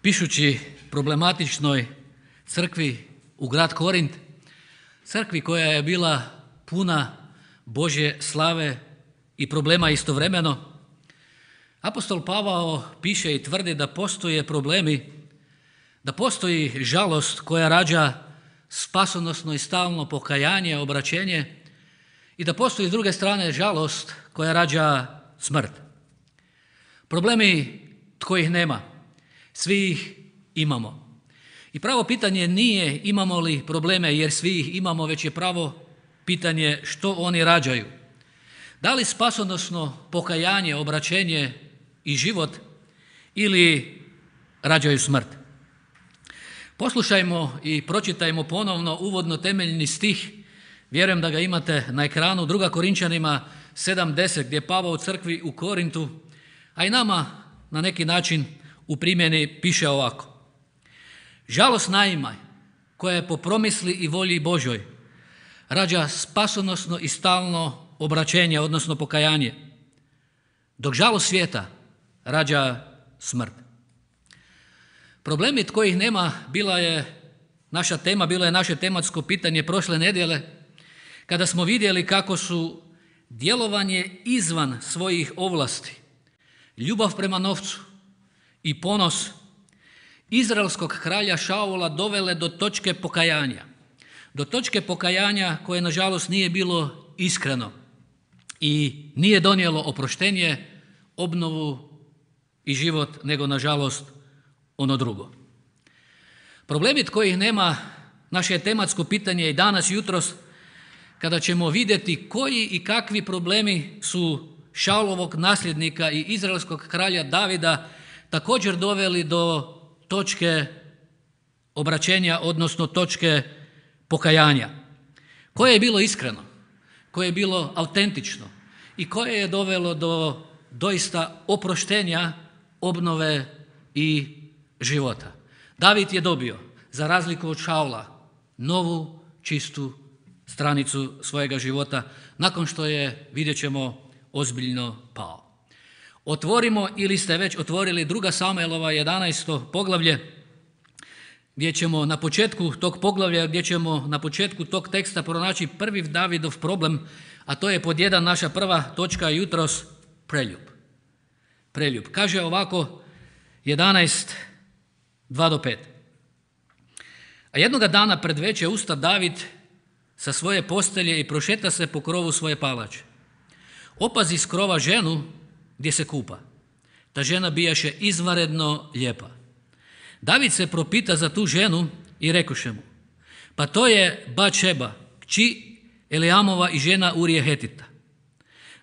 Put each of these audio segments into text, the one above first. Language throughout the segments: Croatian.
Pišući problematičnoj crkvi u grad Korint, crkvi koja je bila puna Božje slave i problema istovremeno, apostol Pavao piše i tvrdi da postoje problemi, da postoji žalost koja rađa spasonosno i stalno pokajanje, obraćenje i da postoji s druge strane žalost koja rađa smrt. Problemi tko ih nema, svi ih imamo. I pravo pitanje nije imamo li probleme jer svi ih imamo, već je pravo pitanje što oni rađaju. Da li spasonosno pokajanje, obraćenje i život ili rađaju smrt? Poslušajmo i pročitajmo ponovno uvodno temeljni stih, vjerujem da ga imate na ekranu, 2. Korinčanima 7.10, gdje Pavao u crkvi u Korintu, a i nama na neki način u primjeni piše ovako. Žalost naima koja je po promisli i volji Božoj rađa spasonosno i stalno obraćenje, odnosno pokajanje, dok žalost svijeta rađa smrt. Problemi kojih nema bila je naša tema, bilo je naše tematsko pitanje prošle nedjelje, kada smo vidjeli kako su djelovanje izvan svojih ovlasti, ljubav prema novcu i ponos izraelskog kralja Šaula dovele do točke pokajanja. Do točke pokajanja koje nažalost nije bilo iskreno i nije donijelo oproštenje, obnovu i život, nego nažalost ono drugo. Problemi kojih nema, naše je tematsko pitanje i danas jutros, kada ćemo vidjeti koji i kakvi problemi su Šaulovog nasljednika i izraelskog kralja Davida također doveli do točke obraćenja, odnosno točke pokajanja. Koje je bilo iskreno, koje je bilo autentično i koje je dovelo do doista oproštenja, obnove i života. David je dobio, za razliku od Šaula, novu, čistu stranicu svojega života, nakon što je, vidjet ćemo, ozbiljno pao. Otvorimo, ili ste već otvorili 2. Samuelova 11. poglavlje, gdje ćemo na početku tog poglavlja, gdje ćemo na početku tog teksta pronaći prvi Davidov problem, a to je pod 1 naša prva točka jutros, preljub. Preljub. Kaže ovako 11, 2-5. A jednoga dana pred veče usta David sa svoje postelje i prošeta se po krovu svoje palače. Opazi s krova ženu gdje se kupa. Ta žena bijaše izvanredno lijepa. David se propita za tu ženu i rekuše mu, pa to je Batšeba, kći Eliamova i žena Urije Hetita.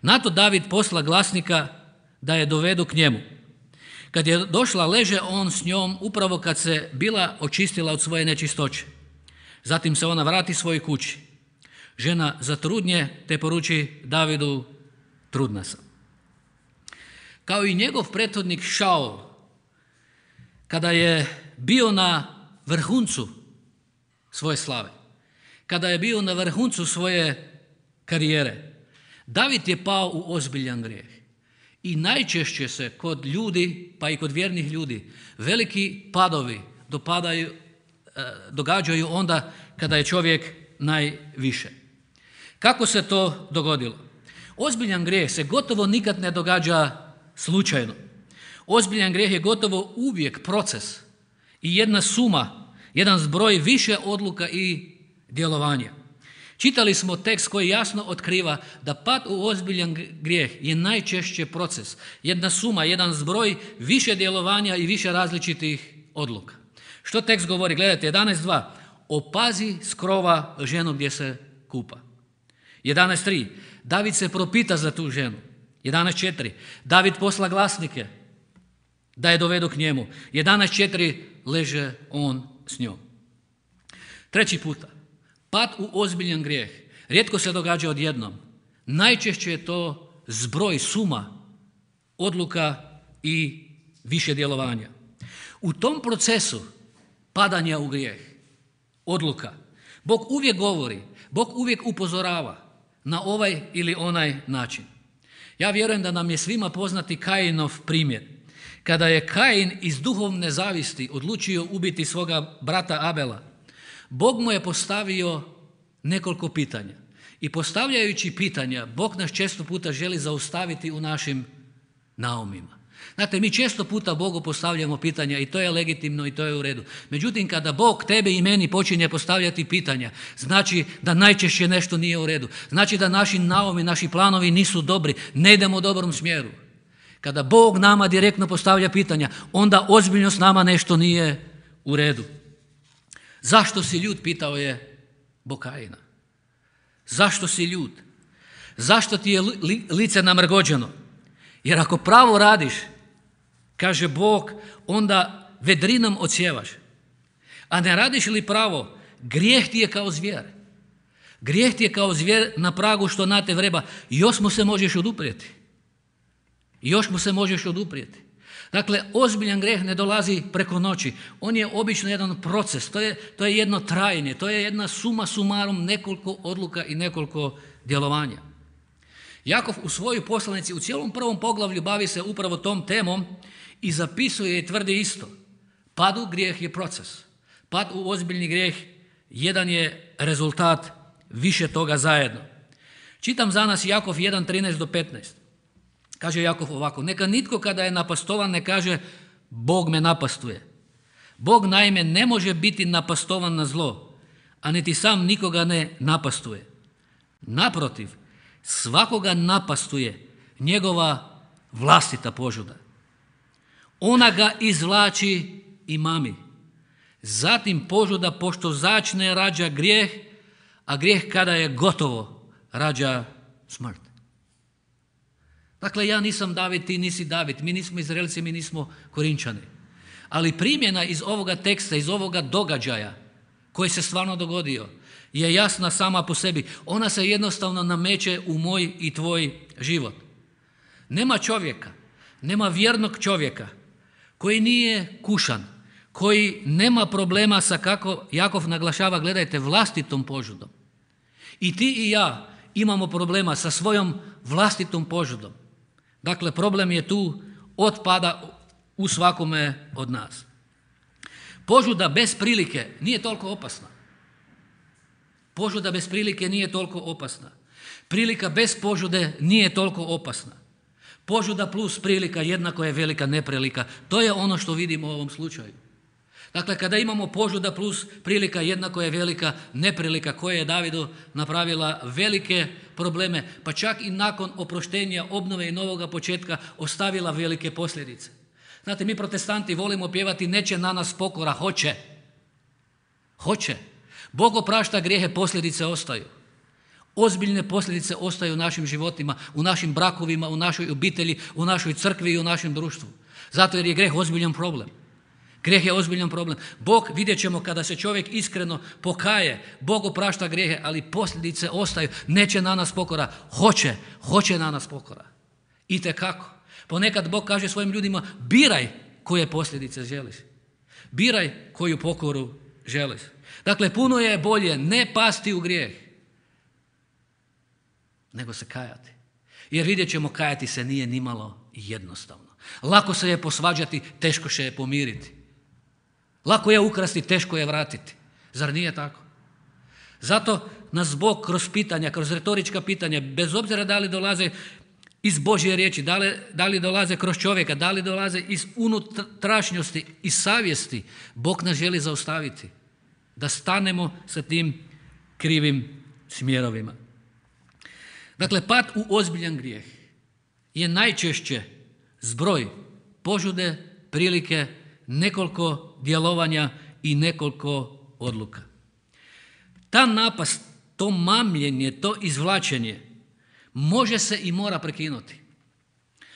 Na to David posla glasnika da je dovedu k njemu. Kad je došla, leže on s njom upravo kad se bila očistila od svoje nečistoće. Zatim se ona vrati svojoj kući. Žena zatrudnje te poruči Davidu, trudna sam. Kao i njegov prethodnik Šaul, kada je bio na vrhuncu svoje slave, kada je bio na vrhuncu svoje karijere, David je pao u ozbiljan grijeh. I najčešće se kod ljudi, pa i kod vjernih ljudi, veliki padovi događaju onda kada je čovjek najviše. Kako se to dogodilo? Ozbiljan grijeh se gotovo nikad ne događa slučajno. Ozbiljan grijeh je gotovo uvijek proces i jedna suma, jedan zbroj više odluka i djelovanja. Čitali smo tekst koji jasno otkriva da pad u ozbiljan grijeh je najčešće proces, jedna suma, jedan zbroj više djelovanja i više različitih odluka. Što tekst govori? Gledajte, 11.2. Opazi s krova ženu gdje se kupa. 11.3. David se propita za tu ženu. 11.4. David posla glasnike da je dovedu k njemu. 11.4. Leže on s njom. Treći puta. Pad u ozbiljan grijeh rijetko se događa odjednom. Najčešće je to zbroj, suma odluka i više djelovanja. U tom procesu padanja u grijeh, odluka, Bog uvijek govori, Bog uvijek upozorava na ovaj ili onaj način. Ja vjerujem da nam je svima poznati Kajinov primjer. Kada je Kain iz duhovne zavisti odlučio ubiti svoga brata Abela, Bog mu je postavio nekoliko pitanja. I postavljajući pitanja, Bog nas često puta želi zaustaviti u našim naumima. Znate, mi često puta Bogu postavljamo pitanja i to je legitimno i to je u redu. Međutim, kada Bog tebe i meni počinje postavljati pitanja, znači da najčešće nešto nije u redu. Znači da naši naumi, naši planovi nisu dobri, ne idemo u dobrom smjeru. Kada Bog nama direktno postavlja pitanja, onda ozbiljno s nama nešto nije u redu. Zašto si ljut, pitao je Bog Kaina. Zašto si ljut? Zašto ti je lice namrgođeno? Jer ako pravo radiš, kaže Bog, onda vedrinom odsjevaš. A ne radiš li pravo, grijeh ti je kao zvijer. Grijeh ti je kao zvijer na pragu što na te vreba. Još mu se možeš oduprijeti. Još mu se možeš oduprijeti. Dakle, ozbiljan grijeh ne dolazi preko noći. On je obično jedan proces, to je jedno trajanje, to je jedna suma sumarum nekoliko odluka i nekoliko djelovanja. Jakov u svojoj poslanici u cijelom prvom poglavlju bavi se upravo tom temom i zapisuje i tvrdi isto. Pad u grijeh je proces. Pad u ozbiljni grijeh jedan je rezultat više toga zajedno. Čitam za nas Jakov 1:13 do 15. Kaže Jakov ovako: neka nitko kada je napastovan ne kaže Bog me napastuje. Bog naime ne može biti napastovan na zlo, a niti sam nikoga ne napastuje. Naprotiv, svakoga napastuje njegova vlastita požuda. Ona ga izvlači i mami. Zatim požuda pošto začne rađa grijeh, a grijeh kada je gotovo rađa smrt. Dakle, ja nisam David, ti nisi David, mi nismo Izraelci, mi nismo Korinčani. Ali primjena iz ovoga teksta, iz ovoga događaja koji se stvarno dogodio, je jasna sama po sebi. Ona se jednostavno nameće u moj i tvoj život. Nema čovjeka, nema vjernog čovjeka koji nije kušan, koji nema problema sa, kako Jakov naglašava, gledajte, vlastitom požudom. I ti i ja imamo problema sa svojom vlastitom požudom. Dakle, problem je tu otpada u svakome od nas. Požuda bez prilike nije toliko opasna. Požuda bez prilike nije toliko opasna. Prilika bez požude nije toliko opasna. Požuda plus prilika jednako je velika neprilika. To je ono što vidimo u ovom slučaju. Dakle, kada imamo požuda plus prilika jednako je velika neprilika koja je Davidu napravila velike probleme, pa čak i nakon oproštenja, obnove i novoga početka ostavila velike posljedice. Znate, mi protestanti volimo pjevati neće na nas pokora, hoće. Hoće. Bog oprašta grijehe, posljedice ostaju. Ozbiljne posljedice ostaju u našim životima, u našim brakovima, u našoj obitelji, u našoj crkvi i u našem društvu. Zato jer je grijeh ozbiljan problem. Grijeh je ozbiljan problem. Bog, vidjet ćemo kada se čovjek iskreno pokaje, Bog oprašta grijehe, ali posljedice ostaju. Neće na nas pokora, hoće na nas pokora. Itekako. Ponekad Bog kaže svojim ljudima, biraj koje posljedice želiš. Biraj koju pokoru želiš. Dakle, puno je bolje ne pasti u grijeh, nego se kajati. Jer vidjet ćemo, kajati se nije nimalo jednostavno. Lako se je posvađati, teško se je pomiriti. Lako je ukrasti, teško je vratiti. Zar nije tako? Zato nas Bog kroz pitanja, kroz retorička pitanja, bez obzira da li dolaze iz Božje riječi, da li dolaze kroz čovjeka, da li dolaze iz unutrašnjosti, iz savjesti, Bog nas želi zaustaviti. Da stanemo sa tim krivim smjerovima. Dakle, pad u ozbiljan grijeh je najčešće zbroj požude, prilike, nekoliko djelovanja i nekoliko odluka. Ta napast, to mamljenje, to izvlačenje može se i mora prekinuti.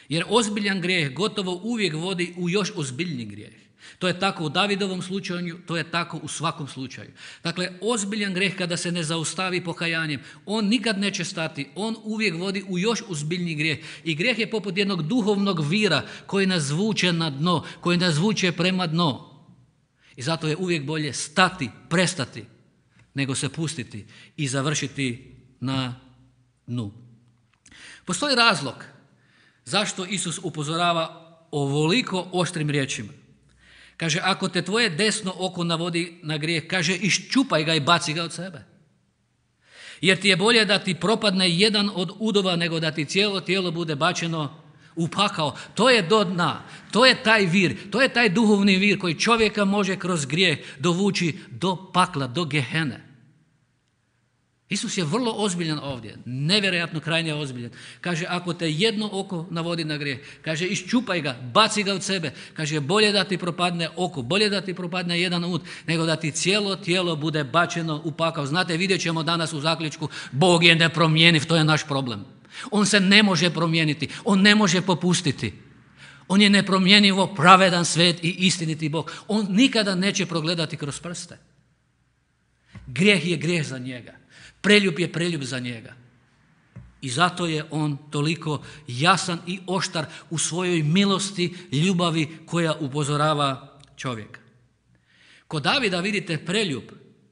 Jer ozbiljan grijeh gotovo uvijek vodi u još ozbiljniji grijeh. To je tako u Davidovom slučaju, to je tako u svakom slučaju. Dakle, ozbiljan grijeh kada se ne zaustavi pokajanjem, on nikad neće stati, on uvijek vodi u još ozbiljniji grijeh. I grijeh je poput jednog duhovnog vira koji nas vuče na dno, koji nas vuče prema dno. I zato je uvijek bolje stati, prestati, nego se pustiti i završiti na dnu. Postoji razlog zašto Isus upozorava ovoliko oštrim riječima. Kaže, ako te tvoje desno oko navodi na grijeh, kaže, iščupaj ga i baci ga od sebe. Jer ti je bolje da ti propadne jedan od udova nego da ti cijelo tijelo bude bačeno u pakao. To je do dna, to je taj vir, to je taj duhovni vir koji čovjeka može kroz grijeh dovući do pakla, do Gehene. Isus je vrlo ozbiljan ovdje, nevjerojatno krajnje ozbiljan. Kaže, ako te jedno oko navodi na grijeh, kaže, iščupaj ga, baci ga od sebe. Kaže, bolje da ti propadne oko, bolje da ti propadne jedan ud, nego da ti cijelo tijelo bude bačeno u pakao. Znate, vidjet ćemo danas u zaključku, Bog je nepromjenjiv, to je naš problem. On se ne može promijeniti, on ne može popustiti. On je nepromjenjivo pravedan, svet i istiniti Bog. On nikada neće progledati kroz prste. Grijeh je grijeh za njega. Preljub je preljub za njega. I zato je on toliko jasan i oštar u svojoj milosti, ljubavi koja upozorava čovjeka. Kod Davida vidite preljub,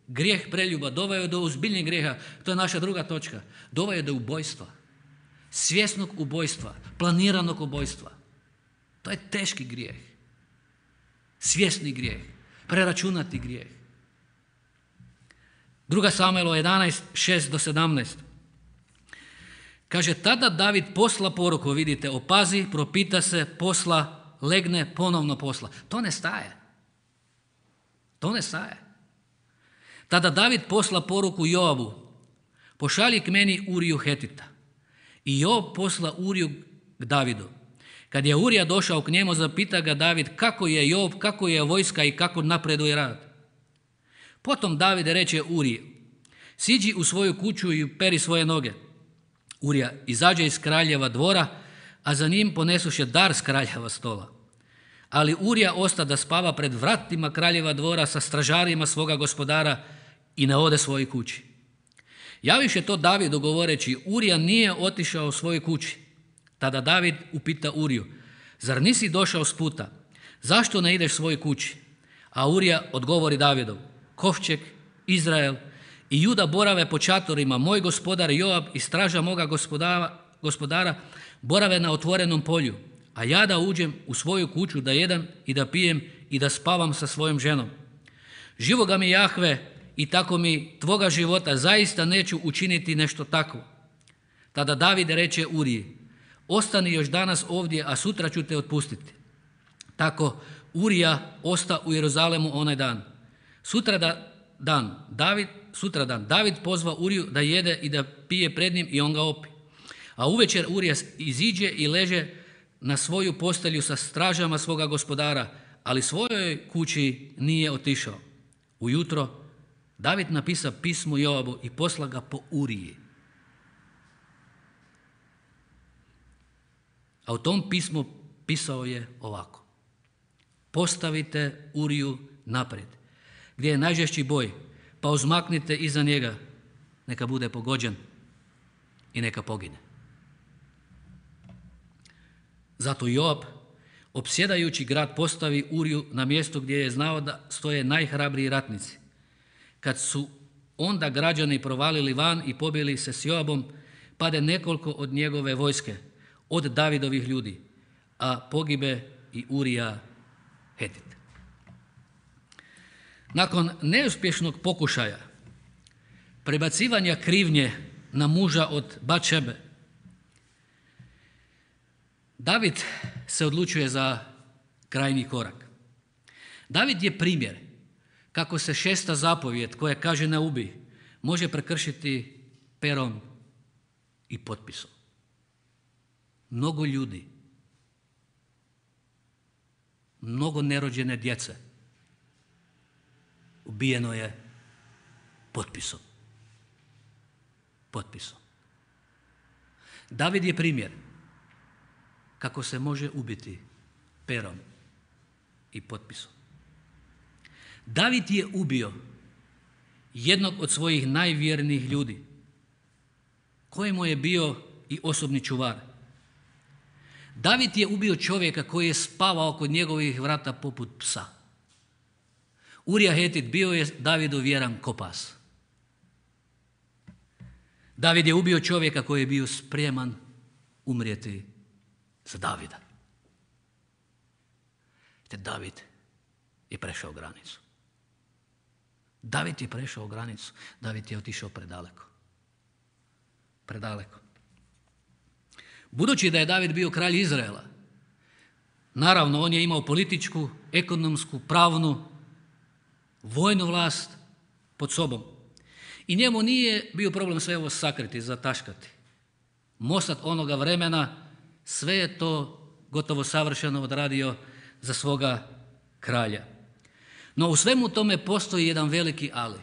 grijeh preljuba doveo je do ozbiljnijeg grijeha. To je naša druga točka. Doveo je do ubojstva. Svjesnog ubojstva, planiranog ubojstva. To je teški grijeh. Svjesni grijeh, preračunati grijeh. 2. Samuelova 11, 6-17. Kaže, tada David posla poruku, vidite, opazi, propita se, posla, legne, ponovno posla. To ne staje. To ne staje. Tada David posla poruku Joabu, pošalji k meni Uriju Hetita. I Joab posla Uriju k Davidu. Kad je Urija došao k njemu, zapita ga David kako je Joab, kako je vojska i kako napreduje rad. Potom David reče Uriji, siđi u svoju kuću i peri svoje noge. Urija izađe iz kraljeva dvora, a za njim ponesuše dar s kraljeva stola. Ali Urija osta da spava pred vratima kraljeva dvora sa stražarima svoga gospodara i ne ode svojoj kući. Javiše to Davidu govoreći, Urija nije otišao svojoj kući. Tada David upita Uriju, zar nisi došao s puta? Zašto ne ideš svojoj kući? A Urija odgovori Davidu, kovčeg, Izrael i Juda borave po čatorima, moj gospodar Joab i straža moga gospodara borave na otvorenom polju, a ja da uđem u svoju kuću da jedem i da pijem i da spavam sa svojom ženom. Živoga mi Jahve i tako mi tvoga života zaista neću učiniti nešto takvo. Tada David reče Uriji, ostani još danas ovdje, a sutra ću te otpustiti. Tako Urija osta u Jeruzalemu onaj dan. Sutradan David pozva Uriju da jede i da pije pred njim i on ga opi. A uvečer Urija iziđe i leže na svoju postelju sa stražama svoga gospodara, ali svojoj kući nije otišao. Ujutro David napisa pismo Joabu i posla ga po Uriji. A u tom pismu pisao je ovako. Postavite Uriju naprijed, gdje je najžešći boj, pa uzmaknite iza njega, neka bude pogođen i neka pogine. Zato Joab, opsjedajući grad, postavi Uriju na mjesto gdje je znao da stoje najhrabriji ratnici. Kad su onda građani provalili van i pobili se s Joabom, pade nekoliko od njegove vojske, od Davidovih ljudi, a pogibe i Urija Hetit. Nakon neuspješnog pokušaja prebacivanja krivnje na muža od Batšebe, David se odlučuje za krajnji korak. David je primjer kako se 6. zapovijed koja kaže ne ubij može prekršiti perom i potpisom. Mnogo ljudi, mnogo nerođene djece ubijeno je potpisom. Potpisom. David je primjer kako se može ubiti perom i potpisom. David je ubio jednog od svojih najvjernijih ljudi, kojemu je bio i osobni čuvar. David je ubio čovjeka koji je spavao kod njegovih vrata poput psa. Urija Hetit bio je Davidu vjeran ko pas. David je ubio čovjeka koji je bio spreman umrijeti za Davida. Te David je prešao granicu. David je prešao granicu. David je otišao predaleko. Predaleko. Budući da je David bio kralj Izraela, naravno on je imao političku, ekonomsku, pravnu, vojnu vlast pod sobom. I njemu nije bio problem sve ovo sakriti, zataškati. Mosad onoga vremena sve je to gotovo savršeno odradio za svoga kralja. No u svemu tome postoji jedan veliki ali.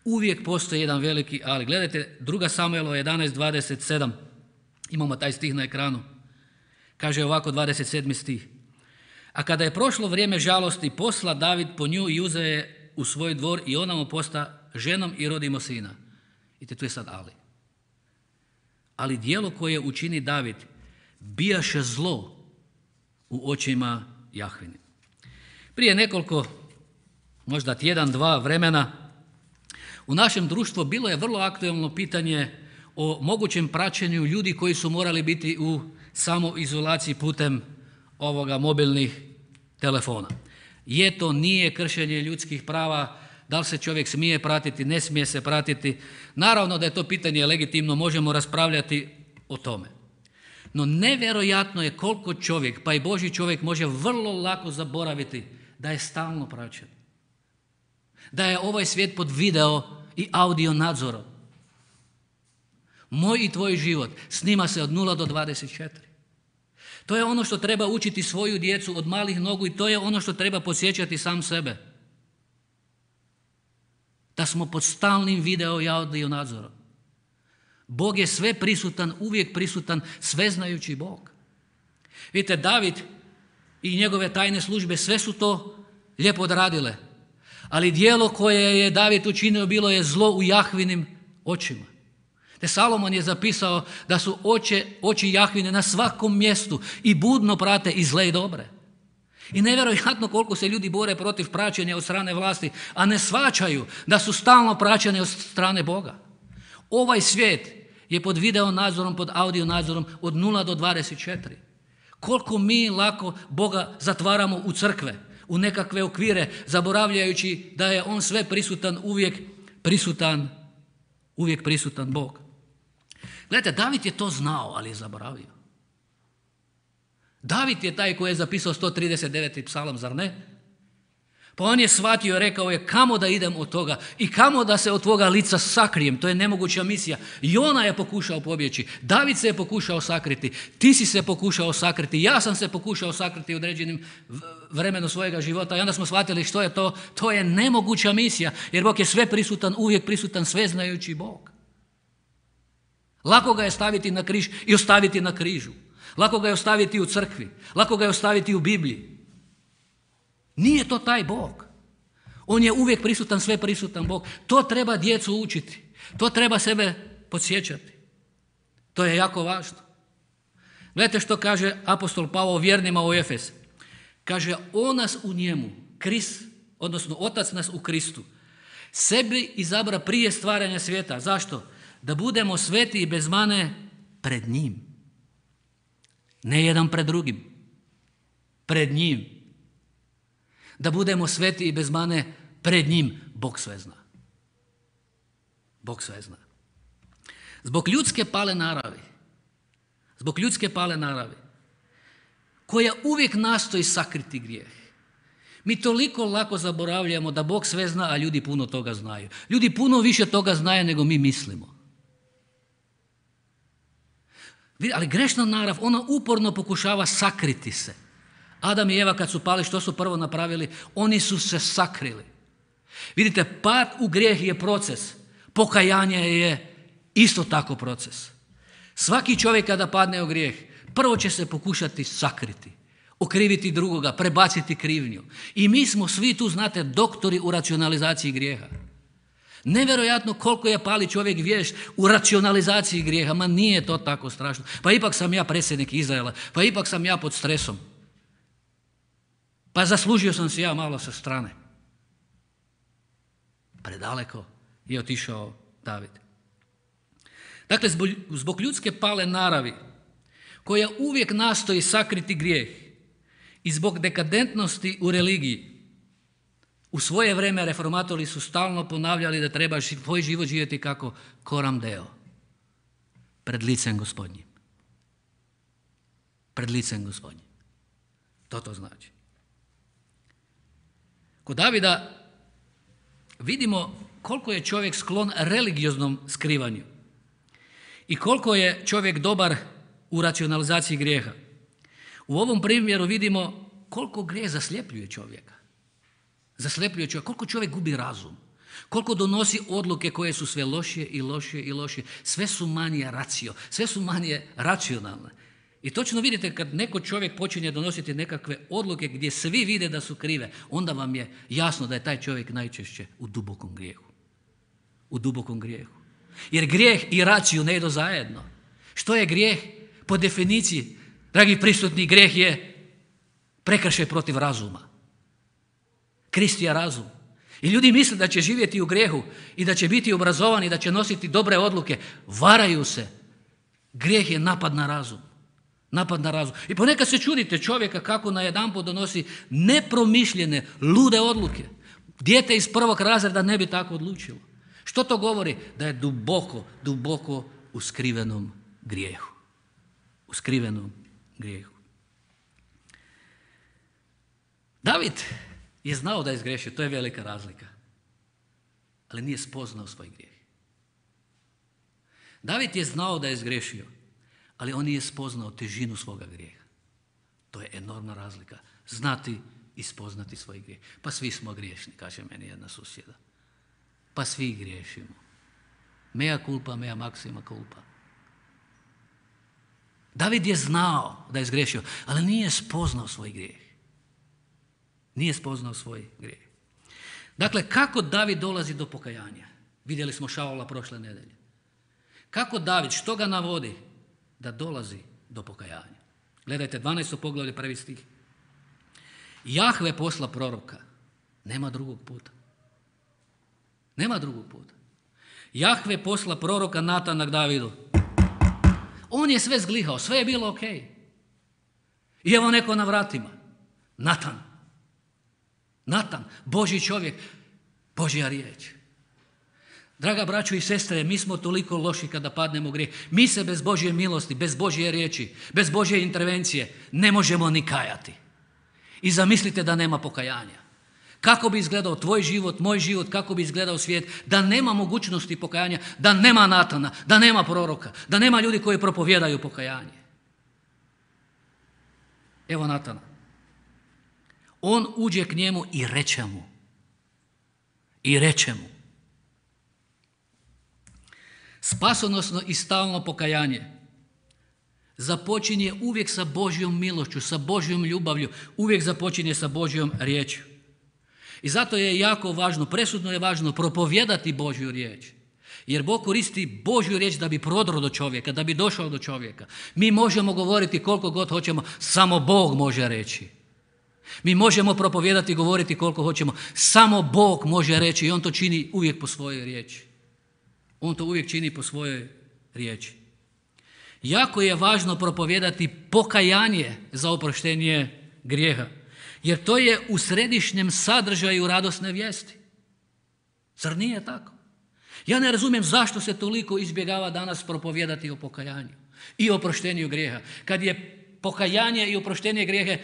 Uvijek postoji jedan veliki ali. Gledajte 2. Samuelova 11:27. Imamo taj stih na ekranu. Kaže ovako 27. stih. A kada je prošlo vrijeme žalosti, posla David po nju i uze je u svoj dvor i ona mu posta ženom i rodimo sina. I tu je sad ali. Ali djelo koje učini David bijaše zlo u očima Jahvini. Prije nekoliko, možda tjedan, dva vremena, u našem društvu bilo je vrlo aktuelno pitanje o mogućem praćenju ljudi koji su morali biti u samoizolaciji putem mobilnih telefona. Je to, nije kršenje ljudskih prava, da li se čovjek smije pratiti, ne smije se pratiti. Naravno da je to pitanje legitimno, možemo raspravljati o tome. No nevjerojatno je koliko čovjek, pa i Božji čovjek, može vrlo lako zaboraviti da je stalno praćen. Da je ovaj svijet pod video i audio nadzorom. Moj i tvoj život snima se od 0 do 24. To je ono što treba učiti svoju djecu od malih nogu i to je ono što treba podsjećati sam sebe. Da smo pod stalnim video i audio nadzorom. Bog je sve prisutan, uvijek prisutan, sveznajući Bog. Vidite, David i njegove tajne službe sve su to lijepo odradile. Ali djelo koje je David učinio bilo je zlo u Jahvinim očima. Te Salomon je zapisao da su oči Jahvine na svakom mjestu i budno prate i zle i dobre. I nevjerojatno koliko se ljudi bore protiv praćenja od strane vlasti, a ne shvaćaju da su stalno praćene od strane Boga. Ovaj svijet je pod video nadzorom, pod audio nadzorom od 0 do 24. Koliko mi lako Boga zatvaramo u crkve, u nekakve okvire, zaboravljajući da je On sve prisutan, uvijek prisutan Bog. Gledajte, David je to znao, ali je zaboravio. David je taj koji je zapisao 139. psalam, zar ne? Pa on je shvatio i rekao je kamo da idem od toga i kamo da se od tvoga lica sakrijem, to je nemoguća misija. Jona je pokušao pobjeći, David se je pokušao sakriti, ti si se pokušao sakriti, ja sam se pokušao sakriti u određenim vremenu svojega života i onda smo shvatili što je to. To je nemoguća misija jer Bog je sve prisutan, uvijek prisutan, sveznajući Bog. Lako ga je staviti na križ i ostaviti na križu. Lako ga je ostaviti u crkvi, lako ga je ostaviti u Bibliji. Nije to taj Bog. On je uvijek prisutan, sve prisutan Bog. To treba djecu učiti. To treba sebe podsjećati. To je jako važno. Gledajte što kaže apostol Pavao vjernima u Efes. Kaže, on nas u njemu, Krist, odnosno Otac nas u Kristu, sebi izabra prije stvaranja svijeta. Zašto? Da budemo sveti i bez mane pred njim. Ne jedan pred drugim. Pred njim. Da budemo sveti i bez mane pred njim. Bog sve zna. Bog sve zna. Zbog ljudske pale naravi, koja uvijek nastoji sakriti grijeh, mi toliko lako zaboravljamo da Bog sve zna, a ljudi puno toga znaju. Ljudi puno više toga znaju nego mi mislimo. Ali grešna narav, ona uporno pokušava sakriti se. Adam i Eva kad su pali, što su prvo napravili? Oni su se sakrili. Vidite, pad u grijeh je proces. Pokajanje je isto tako proces. Svaki čovjek kada padne u grijeh, prvo će se pokušati sakriti, okriviti drugoga, prebaciti krivnju. I mi smo svi tu, znate, doktori u racionalizaciji grijeha. Nevjerojatno koliko je pali čovjek vješt u racionalizaciji grijeha, ma nije to tako strašno. Pa ipak sam ja predsjednik Izraela, pa ipak sam ja pod stresom. Pa zaslužio sam si ja malo sa strane. Predaleko je otišao David. Dakle, zbog ljudske pale naravi, koja uvijek nastoji sakriti grijeh I zbog dekadentnosti u religiji, u svoje vrijeme reformatori su stalno ponavljali da treba svoj život živjeti kako coram Deo, pred licem Gospodnjim. Pred licem Gospodnjim. To znači. Kod Davida vidimo koliko je čovjek sklon religioznom skrivanju i koliko je čovjek dobar u racionalizaciji grijeha. U ovom primjeru vidimo koliko grijeh zasljepljuje čovjeka. Zasljepljuje čovjeka, koliko čovjek gubi razum, koliko donosi odluke koje su sve lošije i lošije i lošije. Sve su manje racio, sve su manje racionalne. I točno vidite kad neko čovjek počinje donositi nekakve odluke gdje svi vide da su krive, onda vam je jasno da je taj čovjek najčešće u dubokom grijehu. U dubokom grijehu. Jer grijeh i raciju ne idu zajedno. Što je grijeh? Po definiciji, dragi prisutni, grijeh je prekršaj protiv razuma. Kristija razum. I ljudi misle da će živjeti u grijehu i da će biti obrazovani, da će nositi dobre odluke. Varaju se. Grijeh je napad na razum. Napad na razum. I ponekad se čudite čovjeka kako najedanput donosi nepromišljene, lude odluke. Dijete iz 1. razreda ne bi tako odlučilo. Što to govori? Da je duboko, duboko u skrivenom grijehu. U skrivenom grijehu. David je znao da je zgrešio, to je velika razlika. Ali nije spoznao svoj grijeh. David je znao da je zgrešio, ali on nije spoznao težinu svoga grijeha. To je enormna razlika. Znati i spoznati svoj grijeh. Pa svi smo griješni, kaže meni jedna susjeda. Pa svi griješimo. Mea culpa, mea maxima culpa. David je znao da je zgrešio, ali nije spoznao svoj grijeh. Nije spoznao svoj grijeh. Dakle, kako David dolazi do pokajanja? Vidjeli smo Šaula prošle nedelje. Kako David, što ga navodi da dolazi do pokajanja? Gledajte, 12. poglavlje, 1. stih. Jahve posla proroka. Nema drugog puta. Nema drugog puta. Jahve posla proroka Natana k Davidu. On je sve zglihao, sve je bilo ok. I evo neko na vratima. Natan, Božji čovjek, Božja riječ. Draga braćo i sestre, mi smo toliko loši kada padnemo u grijeh. Mi se bez Božje milosti, bez Božje riječi, bez Božje intervencije ne možemo ni kajati. I zamislite da nema pokajanja. Kako bi izgledao tvoj život, moj život, kako bi izgledao svijet, da nema mogućnosti pokajanja, da nema Natana, da nema proroka, da nema ljudi koji propovijedaju pokajanje. Evo Natana. On uđe k njemu i reče mu. Spasonosno i stalno pokajanje započinje uvijek sa Božjom milošću, sa Božjom ljubavlju, uvijek započinje sa Božjom riječju. I zato je jako važno, presudno je važno propovijedati Božju riječ. Jer Bog koristi Božju riječ da bi prodro do čovjeka, da bi došao do čovjeka. Mi možemo govoriti koliko god hoćemo, samo Bog može reći. Mi možemo propovijedati i govoriti koliko hoćemo, samo Bog može reći i On to čini uvijek po svojoj riječi. On to uvijek čini po svojoj riječi. Jako je važno propovijedati pokajanje za oproštenje grijeha. Jer to je u središnjem sadržaju radosne vijesti. Zar nije tako? Ja ne razumijem zašto se toliko izbjegava danas propovijedati o pokajanju i oproštenju grijeha. Kad je pokajanje i oproštenje grijeha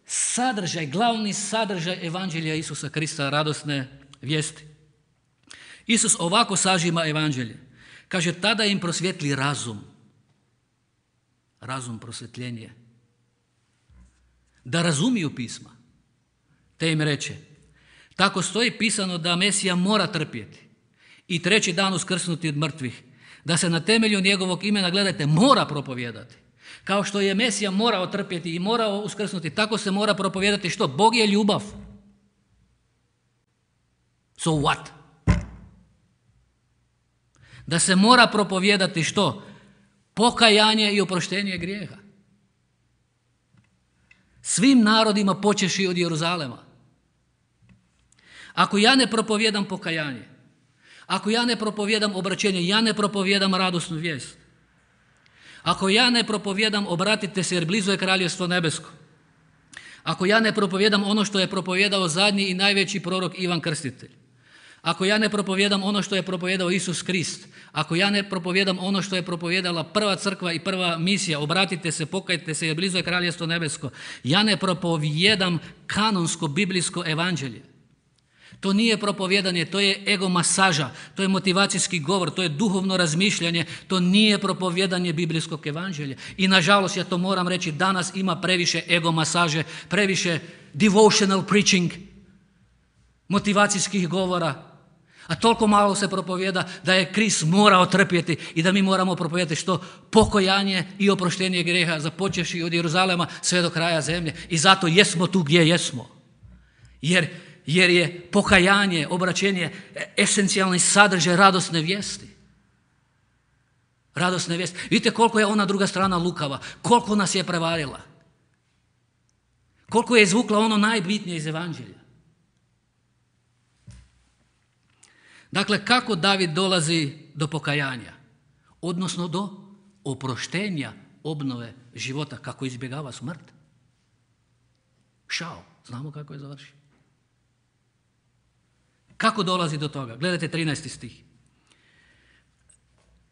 sadržaj, glavni sadržaj evanđelja Isusa Krista, radosne vijesti. Isus ovako sažima evanđelje. Kaže, tada im prosvjetli razum. Razum, prosvjetljenje. Da razumiju pisma. Te im reče, tako stoji pisano da Mesija mora trpjeti i 3. dan uskrsnuti od mrtvih, da se na temelju njegovog imena, gledajte, mora propovijedati. Kao što je Mesija morao trpjeti i morao uskrsnuti, tako se mora propovijedati što? Bog je ljubav. So what? Da se mora propovijedati što? Pokajanje i oproštenje grijeha. Svim narodima počeši od Jeruzalema. Ako ja ne propovijedam pokajanje, ako ja ne propovijedam obraćenje, ja ne propovijedam radosnu vijest. Ako ja ne propovijedam obratite se jer blizu je kraljevstvo nebesko. Ako ja ne propovijedam ono što je propovijedao zadnji i najveći prorok Ivan Krstitelj, ako ja ne propovijedam ono što je propovijedao Isus Krist, ako ja ne propovijedam ono što je propovijedala prva crkva i prva misija, obratite se, pokajte se jer blizu je kraljestvo nebesko, ja ne propovijedam kanonsko biblijsko evanđelje. To nije propovijedanje, to je ego masaža, to je motivacijski govor, to je duhovno razmišljanje, to nije propovijedanje biblijskog evanđelja. I nažalost, ja to moram reći, danas ima previše ego masaže, previše devotional preaching, motivacijskih govora, a toliko malo se propovijeda da je Krist morao trpjeti i da mi moramo propovijedati što? Pokajanje i oproštenje grijeha, započevši od Jeruzalema sve do kraja zemlje. I zato jesmo tu gdje jesmo. Jer je pokajanje, obraćenje esencijalni sadržaj radosne vijesti. Radosne vijesti. Vidite koliko je ona druga strana lukava, koliko nas je prevarila. Koliko je izvukla ono najbitnije iz evanđelja. Dakle, kako David dolazi do pokajanja? Odnosno do oproštenja, obnove života, kako izbjegava smrt. Šao, znamo kako je završio. Kako dolazi do toga? Gledajte 13. stih.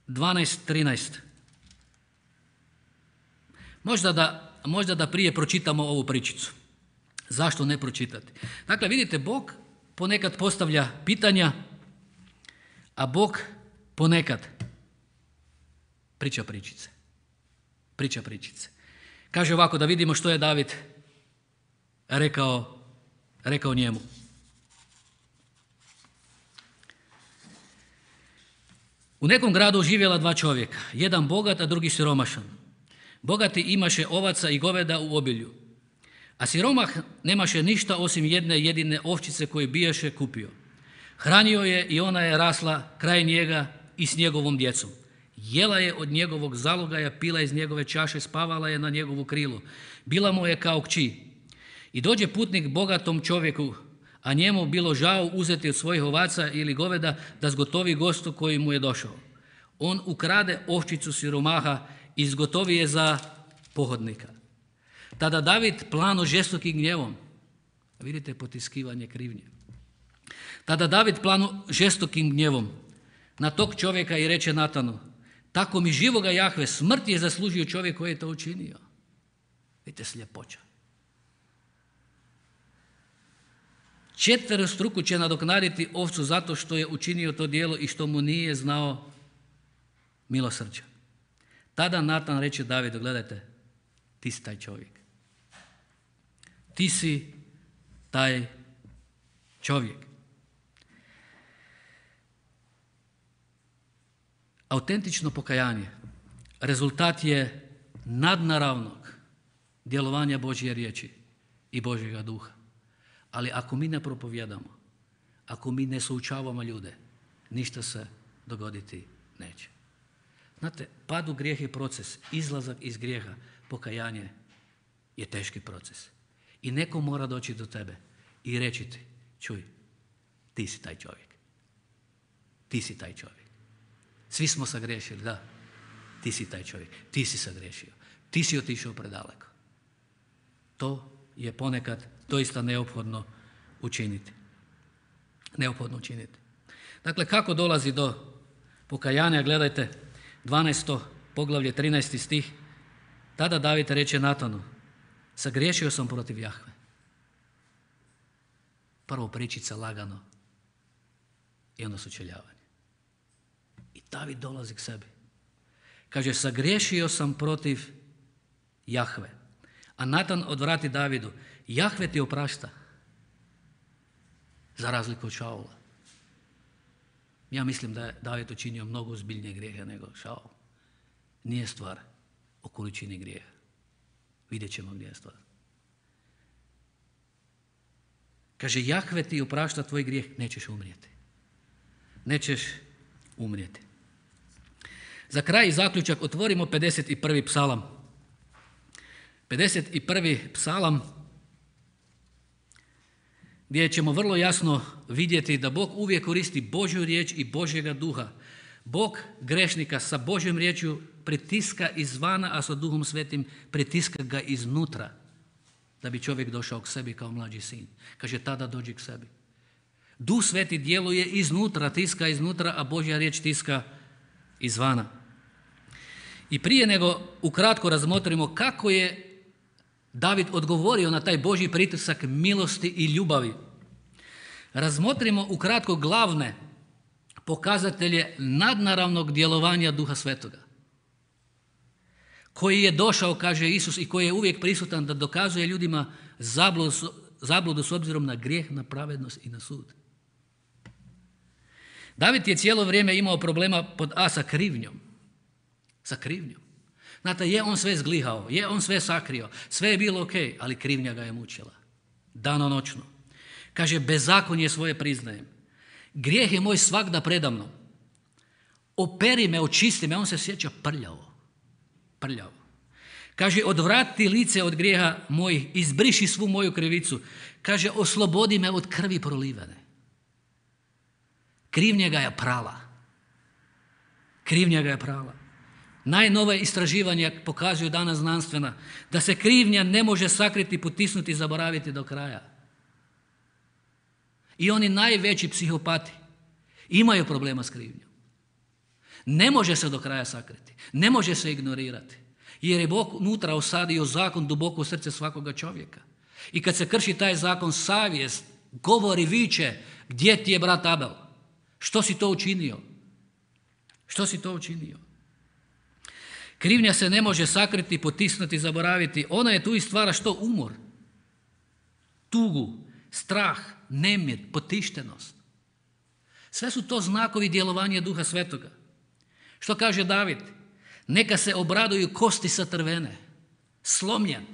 12-13. Možda da prije pročitamo ovu pričicu. Zašto ne pročitati? Dakle, vidite, Bog ponekad postavlja pitanja, a Bog ponekad priča pričice. Priča pričice. Kaže ovako, da vidimo što je David rekao njemu. U nekom gradu živjela dva čovjeka, jedan bogat, a drugi siromašan. Bogati imaše ovaca i goveda u obilju, a siromah nemaše ništa osim jedne jedine ovčice koju bijaše kupio. Hranio je i ona je rasla kraj njega i s njegovom djecom. Jela je od njegovog zalogaja, pila iz njegove čaše, spavala je na njegovu krilu. Bila mu je kao kći. I dođe putnik bogatom čovjeku, a njemu bilo žao uzeti od svojih ovaca ili goveda da zgotovi gostu koji mu je došao. On ukrade ovčicu siromaha i zgotovi je za pohodnika. Tada David plano žestokim gnjevom, vidite potiskivanje krivnje, tada David plano žestokim gnjevom na tog čovjeka i reče Natanu, tako mi živoga Jahve, smrt je zaslužio čovjek koji je to učinio. Vidite sljepoća. Četverostruko će nadoknaditi ovcu zato što je učinio to djelo i što mu nije znao milosrđa. Tada Natan reče Davidu, gledajte, ti si taj čovjek. Ti si taj čovjek. Autentično pokajanje rezultat je nadnaravnog djelovanja Božje riječi i Božjega duha. Ali ako mi ne propovijedamo, ako mi ne součavamo ljude, ništa se dogoditi neće. Znate, pad u grijeh je proces, izlazak iz grijeha, pokajanje je teški proces. I neko mora doći do tebe i reći ti, čuj, ti si taj čovjek. Ti si taj čovjek. Svi smo sagriješili, da, ti si taj čovjek, ti si sagriješio, ti si otišao predaleko. To je ponekad doista neophodno učiniti. Neophodno učiniti. Dakle, kako dolazi do pokajanja? Gledajte, 12. poglavlje, 13. stih. Tada David reče Natanu, sagriješio sam protiv Jahve. Prvo pričica lagano i onda sučeljavanje. I David dolazi k sebi. Kaže, sagriješio sam protiv Jahve. A Natan odvrati Davidu, Jahve ti oprašta, za razliku od Šaula. Ja mislim da je David učinio mnogo ozbiljnije grijehe nego Šaul. Nije stvar o količini grijeha. Vidjet ćemo gdje je stvar. Kaže, Jahve ti oprašta tvoj grijeh, nećeš umrijeti. Nećeš umrijeti. Za kraj i zaključak otvorimo 51. psalam. 51. psalam, gdje ćemo vrlo jasno vidjeti da Bog uvijek koristi Božju riječ i Božjega duha. Bog grešnika sa Božjom riječju pritiska izvana, a sa Duhom Svetim pritiska ga iznutra. da bi čovjek došao k sebi kao mlađi sin. Kaže, tada dođi k sebi. Duh Sveti djeluje iznutra, tiska iznutra, a Božja riječ tiska izvana. I prije nego ukratko razmotrimo kako je David odgovorio na taj Božji pritisak milosti i ljubavi, razmotrimo ukratko glavne pokazatelje nadnaravnog djelovanja Duha Svetoga, koji je došao, kaže Isus, i koji je uvijek prisutan da dokazuje ljudima zabludu s obzirom na grijeh, na pravednost i na sud. David je cijelo vrijeme imao problema pod A sa krivnjom. Sa krivnjom. Znate, je on sve zglihao, je on sve sakrio, sve je bilo ok, ali krivnja ga je mučila. Danonoćno. Kaže, bezakonje svoje priznajem. Grijeh je moj svagda predamnom. Operi me, očisti me, on se sjeća prljavo. Prljavo. Kaže, odvrati lice od grijeha mojih, izbriši svu moju krivicu. Kaže, oslobodi me od krvi prolivene. Krivnja ga je prala. Krivnja ga je prala. Najnove istraživanja pokazuju danas znanstvena da se krivnja ne može sakriti, potisnuti i zaboraviti do kraja. I oni najveći psihopati imaju problema s krivnjom. Ne može se do kraja sakriti, ne može se ignorirati, jer je Bog unutra osadio zakon duboko u srce svakoga čovjeka. I kad se krši taj zakon, savjest govori, viče, gdje ti je brat Abel? Što si to učinio? Što si to učinio? Krivnja se ne može sakriti, potisnuti, zaboraviti. Ona je tu i stvara što? Umor, tugu, strah, nemir, potištenost. Sve su to znakovi djelovanja Duha Svetoga. Što kaže David? Neka se obraduju kosti satrvene. Slomljen.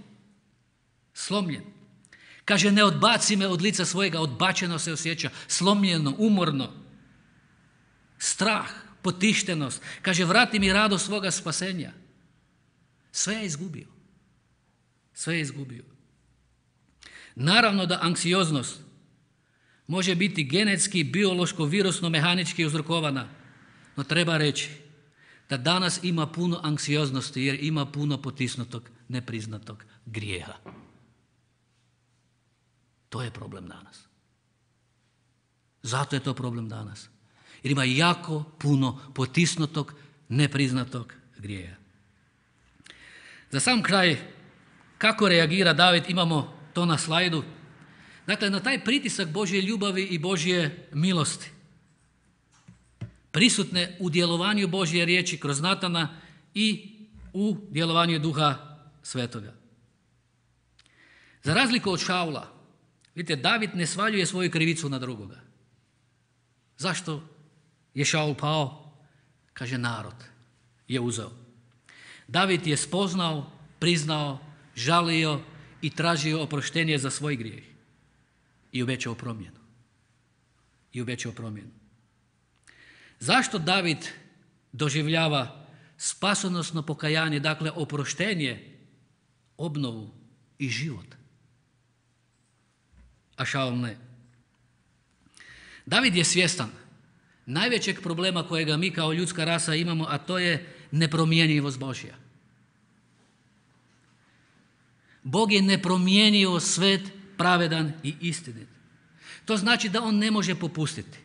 Slomljen. Kaže, ne odbaci me od lica svojega, odbačeno se osjeća, slomljeno, umorno. Strah, potištenost. Kaže, vrati mi radost svoga spasenja. Sve je izgubio. Sve je izgubio. Naravno da anksioznost može biti genetski, biološko, virusno, mehanički uzrokovana, no treba reći da danas ima puno anksioznosti jer ima puno potisnutog, nepriznatog grijeha. To je problem danas. Zato je to problem danas. Jer ima jako puno potisnutog, nepriznatog grijeha. Za sam kraj, kako reagira David, imamo to na slajdu. Dakle, na taj pritisak Božje ljubavi i Božje milosti, prisutne u djelovanju Božje riječi kroz Natana i u djelovanju Duha Svetoga. Za razliku od Šaula, vidite, David ne svaljuje svoju krivicu na drugoga. Zašto je Šaul pao? Kaže, narod je uzeo. David je spoznao, priznao, žalio i tražio oproštenje za svoj grijeh. I obećao promjenu. I obećao promjenu. Zašto David doživljava spasonosno pokajanje, dakle oproštenje, obnovu i život, a Šaul ne? David je svjestan najvećeg problema kojega mi kao ljudska rasa imamo, a to je nepromjenjivost Božja. Bog je nepromjenjivo, svet, pravedan i istinit. To znači da on ne može popustiti.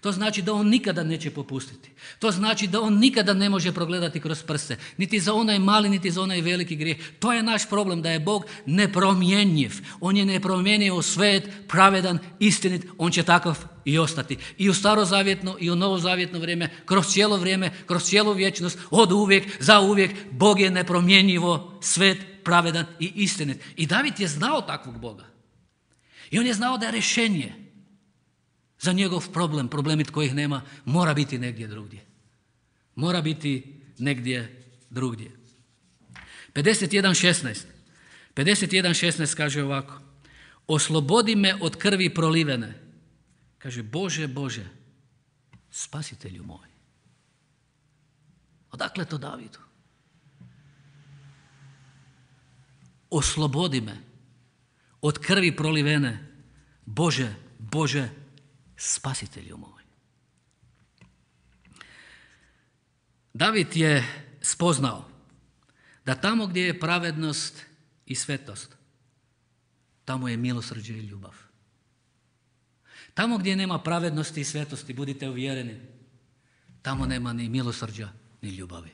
To znači da on nikada neće popustiti. To znači da on nikada ne može progledati kroz prste. Niti za onaj mali, niti za onaj veliki grijeh. To je naš problem, da je Bog nepromjenjiv. On je nepromjenjivo, svet, pravedan, istinit. On će takav i ostati. I u starozavjetno i u novozavjetno vrijeme, kroz cijelu vječnost, od uvijek, za uvijek, Bog je nepromjenjivo, svet, pravedan i istinit. I David je znao takvog Boga. I on je znao da je rješenje za njegov problem, problemit kojih nema, mora biti negdje drugdje. Mora biti negdje drugdje. 51.16 kaže ovako: oslobodi me od krvi prolivene. Kaže, Bože, Bože, spasitelju moj. Odakle to Davidu? Oslobodi me od krvi prolivene. Bože, Bože, spasitelju moj. David je spoznao da tamo gdje je pravednost i svetost, tamo je milosrđe i ljubav. Tamo gdje nema pravednosti i svetosti, budite uvjereni, tamo nema ni milosrđa ni ljubavi.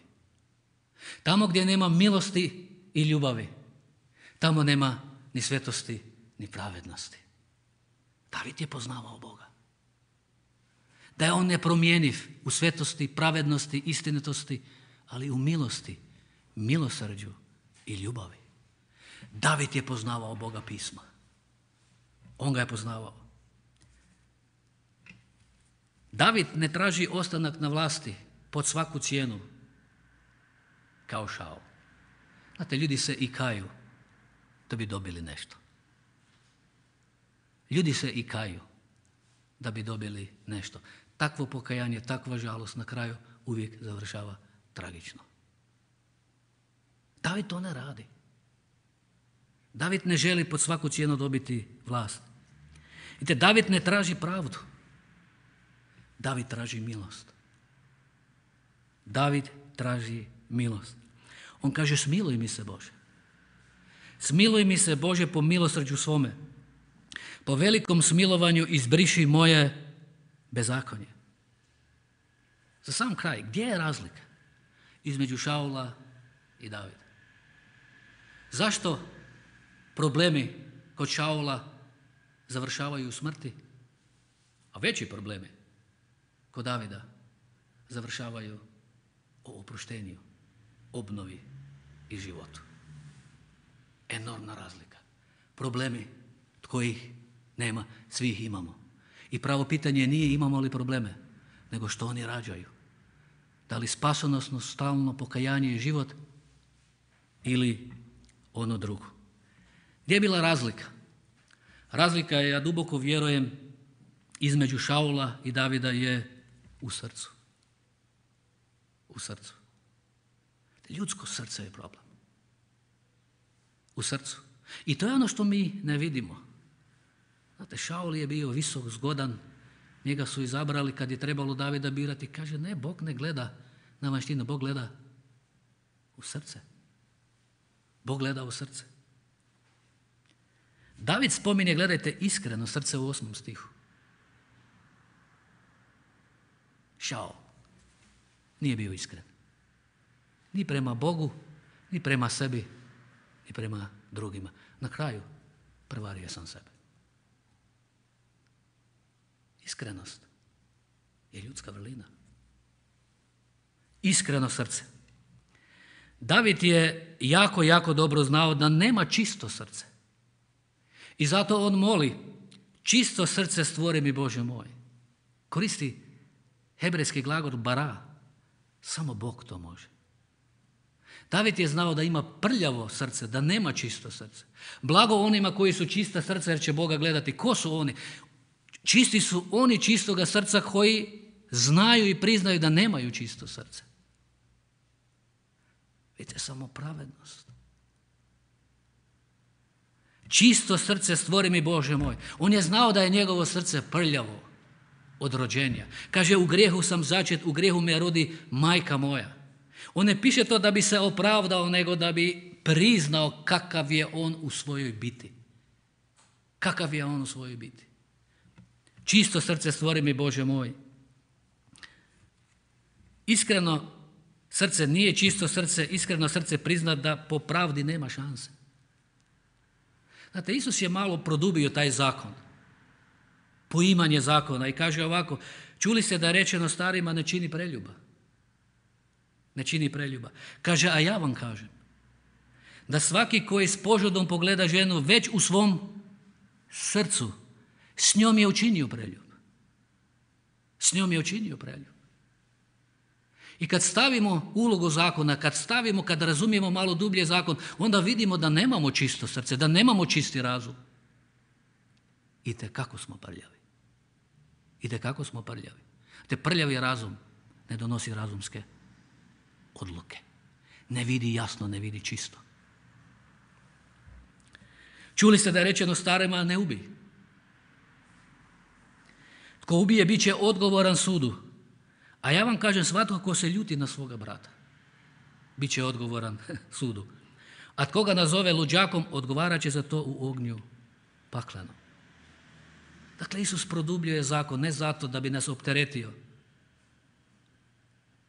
Tamo gdje nema milosti i ljubavi, tamo nema ni svetosti ni pravednosti. David je poznavao Boga. Da je on nepromjenjiv u svetosti, pravednosti, istinitosti, ali u milosti, milosrđu i ljubavi. David je poznavao Boga pisma. On ga je poznavao. David ne traži ostanak na vlasti pod svaku cijenu, kao Šaul. Znate, ljudi se i kaju da bi dobili nešto. Ljudi se i kaju da bi dobili nešto. Takvo pokajanje, takva žalost na kraju uvijek završava tragično. David to ne radi. David ne želi pod svaku cijenu dobiti vlast. Vidite, David ne traži pravdu. David traži milost. David traži milost. On kaže, smiluj mi se Bože. Smiluj mi se Bože po milosrđu svome. Po velikom smilovanju izbriši moje bezakonje. Za sam kraj, gdje je razlika između Šaula i Davida? Zašto problemi kod Šaula završavaju u smrti, a veći problemi kod Davida završavaju o oproštenju, obnovi i životu? Enormna razlika. Problemi kojih nema, svi ih imamo. I pravo pitanje nije imamo li probleme, nego što oni rađaju. Da li spasonosno, stalno pokajanje i život ili ono drugo. Gdje je bila razlika? Razlika je, ja duboko vjerujem, između Šaula i Davida je u srcu. U srcu. Ljudsko srce je problem. U srcu. I to je ono što mi ne vidimo. Znate, Šaul je bio visok, zgodan, njega su izabrali kad je trebalo Davida birati. Kaže, ne, Bog ne gleda na vanjštinu, Bog gleda u srce. Bog gleda u srce. David spominje, gledajte, iskreno srce u 8. stihu. Šaul nije bio iskren. Ni prema Bogu, ni prema sebi, ni prema drugima. Na kraju prevario sam sebe. Iskrenost je ljudska vrlina. Iskreno srce. David je jako, jako dobro znao da nema čisto srce. I zato on moli, čisto srce stvori mi Bože moj. Koristi hebrejski glagol bara. Samo Bog to može. David je znao da ima prljavo srce, da nema čisto srce. Blago onima koji su čista srca jer će Boga gledati. Ko su oni? Čisti su oni čistoga srca koji znaju i priznaju da nemaju čisto srce. Vidite, samo pravednost. Čisto srce stvori mi Bože moj. On je znao da je njegovo srce prljavo od rođenja. Kaže, u grijehu sam začet, u grijehu me rodi majka moja. On ne piše to da bi se opravdao, nego da bi priznao kakav je on u svojoj biti. Kakav je on u svojoj biti. Čisto srce stvori mi Bože moj. Iskreno srce nije čisto srce, iskreno srce prizna da po pravdi nema šanse. Znate, Isus je malo produbio taj zakon, poimanje zakona i kaže ovako, čuli ste da je rečeno starima ne čini preljuba. Ne čini preljuba. Kaže, a ja vam kažem, da svaki koji s požudom pogleda ženu već u svom srcu, s njom je učinio preljub. S njom je učinio preljub. I kad stavimo ulogu zakona, kad razumijemo malo dublje zakon, onda vidimo da nemamo čisto srce, da nemamo čisti razum. Itekako smo prljavi. Itekako smo prljavi. Te prljavi razum ne donosi razumske odluke. Ne vidi jasno, ne vidi čisto. Čuli ste da je rečeno starima ne ubij. Tko ubije bit će odgovoran sudu. A ja vam kažem, svatko ko se ljuti na svoga brata, bit će odgovoran sudu. A tko ga nazove luđakom, odgovarat će za to u ognju pakleno. Dakle, Isus produbljuje zakon ne zato da bi nas opteretio,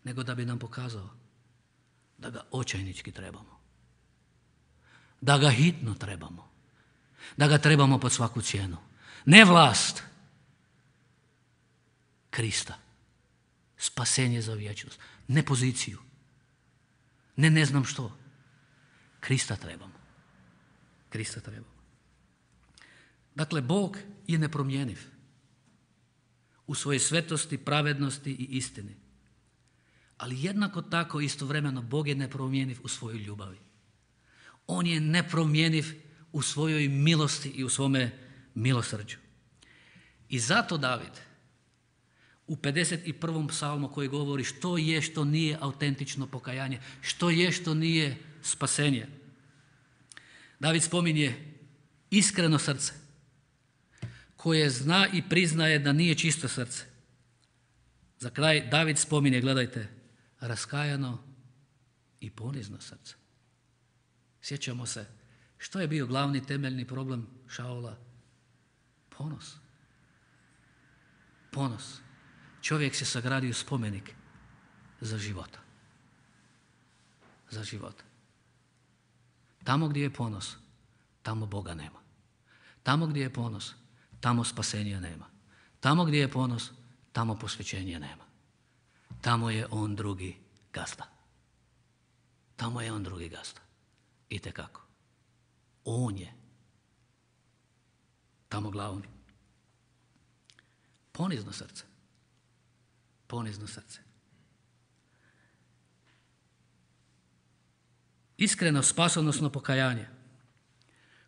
nego da bi nam pokazao da ga očajnički trebamo. Da ga hitno trebamo. Da ga trebamo pod svaku cijenu. Ne vlast, Krista. Spasenje za vječnost. Ne poziciju. Ne znam što. Krista trebamo. Krista trebamo. Dakle, Bog je nepromjenjiv u svojoj svetosti, pravednosti i istini. Ali jednako tako istovremeno Bog je nepromjenjiv u svojoj ljubavi. On je nepromjenjiv u svojoj milosti i u svome milosrđu. I zato David u 51. psalmu koji govori što je što nije autentično pokajanje, što je što nije spasenje. David spominje iskreno srce koje zna i priznaje da nije čisto srce. Za kraj David spominje, gledajte, raskajano i ponizno srce. Sjećamo se što je bio glavni temeljni problem Šaula? Ponos. Ponos. Čovjek se sagradio spomenik za života. Za života. Tamo gdje je ponos, tamo Boga nema. Tamo gdje je ponos, tamo spasenja nema. Tamo gdje je ponos, tamo posvećenja nema. Tamo je on drugi gazda. Tamo je on drugi gazda. Itekako. On je tamo glavni. Ponizno srce. Ponizno srce. Iskreno spasonosno pokajanje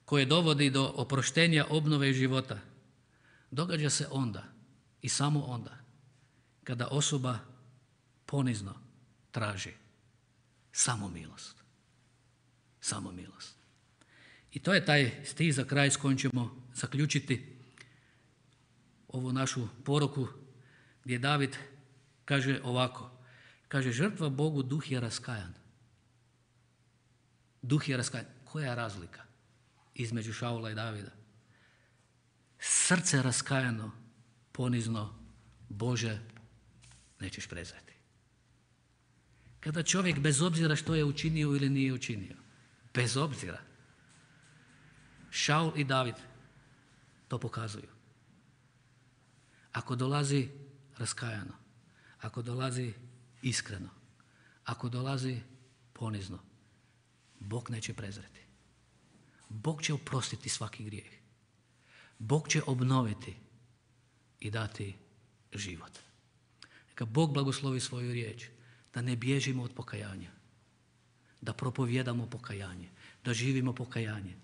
koje dovodi do oproštenja, obnove i života događa se onda i samo onda kada osoba ponizno traži samo milost. Samo milost. I to je taj stih za kraj s kojim ćemo zaključiti ovu našu poruku gdje David kaže ovako. Kaže, žrtva Bogu, duh je raskajan. Duh je raskajan. Koja je razlika između Šaula i Davida? Srce raskajano, ponizno, Bože, nećeš prezreti. Kada čovjek, bez obzira što je učinio ili nije učinio, bez obzira, Šaul i David to pokazuju. Ako dolazi raskajano, ako dolazi iskreno, ako dolazi ponizno, Bog neće prezreti. Bog će oprostiti svaki grijeh. Bog će obnoviti i dati život. Neka Bog blagoslovi svoju riječ, da ne bježimo od pokajanja, da propovijedamo pokajanje, da živimo pokajanje,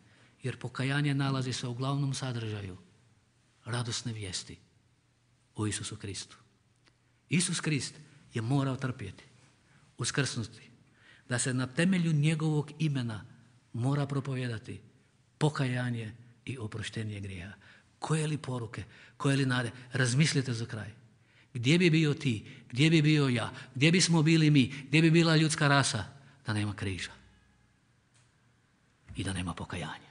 jer pokajanje nalazi se u glavnom sadržaju radosne vijesti o Isusu Kristu. Isus Krist je morao trpjeti, uskrsnuti, da se na temelju njegovog imena mora propovijedati pokajanje i oproštenje grijeha. Koje li poruke, koje li nade, razmislite za kraj. Gdje bi bio ti, gdje bi bio ja, gdje bismo bili mi, gdje bi bila ljudska rasa da nema križa i da nema pokajanja,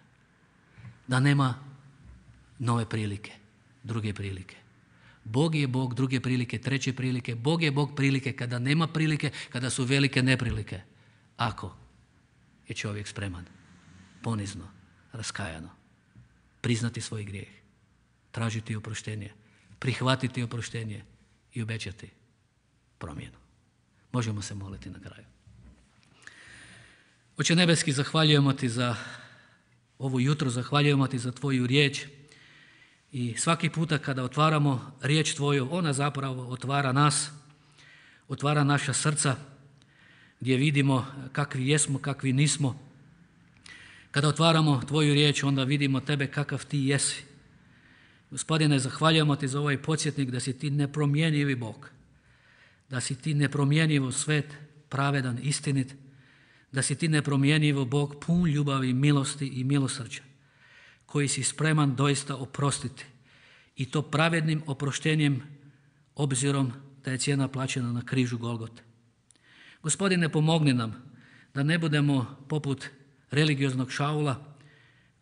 da nema nove prilike, druge prilike. Bog je Bog druge prilike, treće prilike. Bog je Bog prilike kada nema prilike, kada su velike neprilike. Ako je čovjek spreman, ponizno, raskajano, priznati svoj grijeh, tražiti oproštenje, prihvatiti oproštenje i obećati promjenu. Možemo se moliti na kraju. Oče nebeski, zahvaljujemo ti za ovo jutro, zahvaljujemo ti za tvoju riječ i svaki puta kada otvaramo riječ tvoju, ona zapravo otvara nas, otvara naša srca gdje vidimo kakvi jesmo, kakvi nismo. Kada otvaramo tvoju riječ, onda vidimo tebe kakav ti jesi. Gospodine, zahvaljujemo ti za ovaj podsjetnik da si ti nepromjenjivi Bog, da si ti nepromjenjivo svet, pravedan, istinit, da si ti nepromjenjivo Bog pun ljubavi, milosti i milosrđa, koji si spreman doista oprostiti i to pravednim oproštenjem obzirom da je cijena plaćena na križu Golgote. Gospodine, pomogni nam da ne budemo poput religioznog Šaula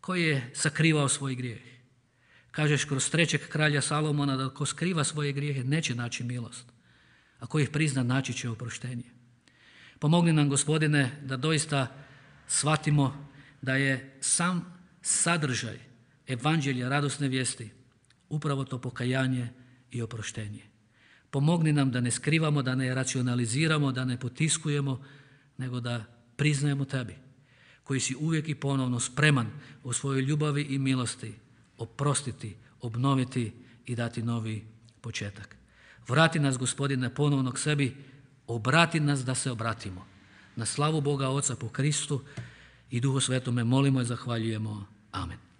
koji je sakrivao svoj grijeh, Kažeš kroz 3. kralja Salomona da ko skriva svoje grijehe neće naći milost, a ko ih prizna naći će oproštenje. Pomogni nam, Gospodine, da doista shvatimo da je sam sadržaj evanđelja radosne vijesti upravo to pokajanje i oproštenje. Pomogni nam da ne skrivamo, da ne racionaliziramo, da ne potiskujemo, nego da priznajemo Tebi, koji si uvijek i ponovno spreman u svojoj ljubavi i milosti oprostiti, obnoviti i dati novi početak. Vrati nas, Gospodine, ponovno k sebi, obrati nas da se obratimo. Na slavu Boga Oca po Kristu i Duhu Svetome molimo i zahvaljujemo. Amen.